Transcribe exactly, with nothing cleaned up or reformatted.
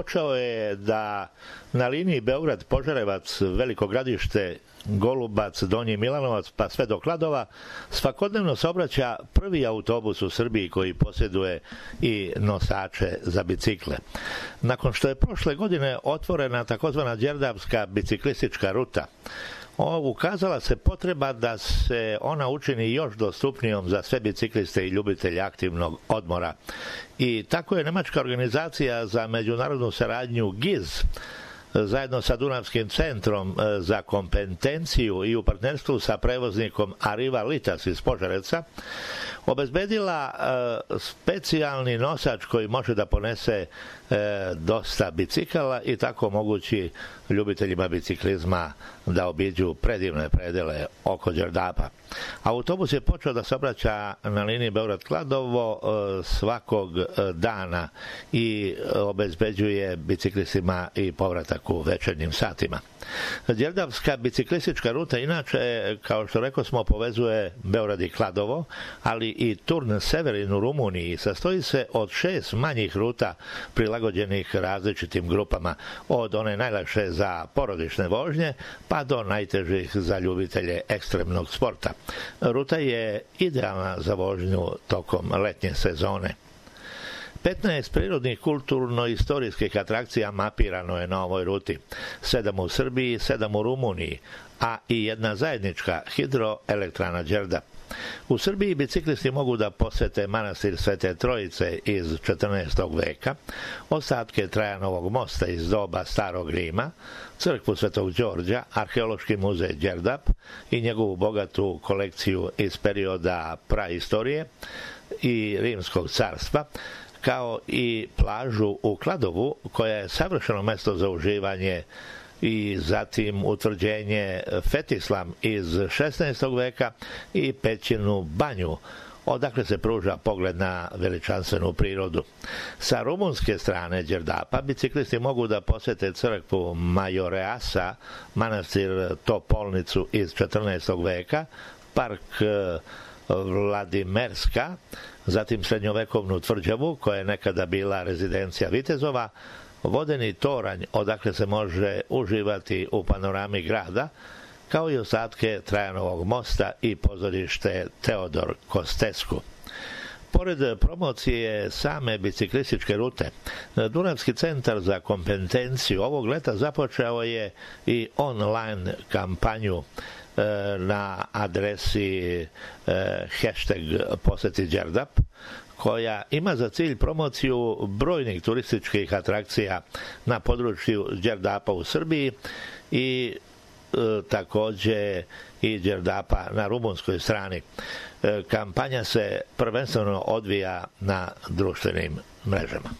počeo je da na liniji Beograd-Požarevac, Veliko Gradište, Golubac, Donji Milanovac, pa sve do Kladova, svakodnevno se obraća prvi autobus u Srbiji koji posjeduje i nosače za bicikle. Nakon što je prošle godine otvorena takozvana Đerdapska biciklistička ruta, ukazala se potreba da se ona učini još dostupnijom za sve bicikliste i ljubitelje aktivnog odmora. I tako je nemačka organizacija za međunarodnu saradnju G I Z zajedno sa Dunavskim centrom za kompetenciju i u partnerstvu sa prevoznikom Arriva Litas iz Požarevca obezbedila specijalni nosač koji može da ponese dosta bicikala i tako omogući ljubiteljima biciklizma da obiđu predivne predele oko Đerdapa. Autobus je počeo da se obraća na liniji Beograd-Kladovo svakog dana i obezbeđuje biciklistima i povratak u večernjim satima. Đerdapska biciklistička ruta inače, kao što rekao smo, povezuje Beograd i Kladovo, ali i Turn Severin u Rumuniji. Sastoji se od šest manjih ruta prilagođenih različitim grupama, od one najlakše za porodične vožnje pa do najtežih za ljubitelje ekstremnog sporta. Ruta je idealna za vožnju tokom letnje sezone. petnaest prirodnih kulturno-istorijskih atrakcija mapirano je na ovoj ruti. Sedam u Srbiji, sedam u Rumuniji, a i jedna zajednička hidroelektrana Đerdap. U Srbiji biciklisti mogu da posete manastir Svete Trojice iz četrnaestog veka, ostatke Trajanovog mosta iz doba Starog Rima, crkvu Svetog Đorđa, arheološki muzej Đerdap i njegovu bogatu kolekciju iz perioda praistorije i Rimskog carstva, kao i plažu u Kladovu, koja je savršeno mesto za uživanje, i zatim utvrđenje Fetislam iz šesnaestog veka i Pećinu banju, odakle se pruža pogled na veličanstvenu prirodu. Sa rumunske strane Đerdapa biciklisti mogu da posete crkvu Majoreasa, manastir Topolnicu iz četrnaestog veka, park Vladimerska, zatim srednjovekovnu tvrđavu koja je nekada bila rezidencija vitezova, vodeni toranj odakle se može uživati u panorami grada, kao i ostatke Trajanovog mosta i pozorište Teodor Kostesku. Pored promocije same biciklističke rute, Dunavski centar za kompetenciju ovog leta započeo je i online kampanju na adresi hashtag poseti Đerdap, koja ima za cilj promociju brojnih turističkih atrakcija na području Đerdapa u Srbiji i e, takođe i Đerdapa na rumunskoj strani. E, kampanja se prvenstveno odvija na društvenim mrežama.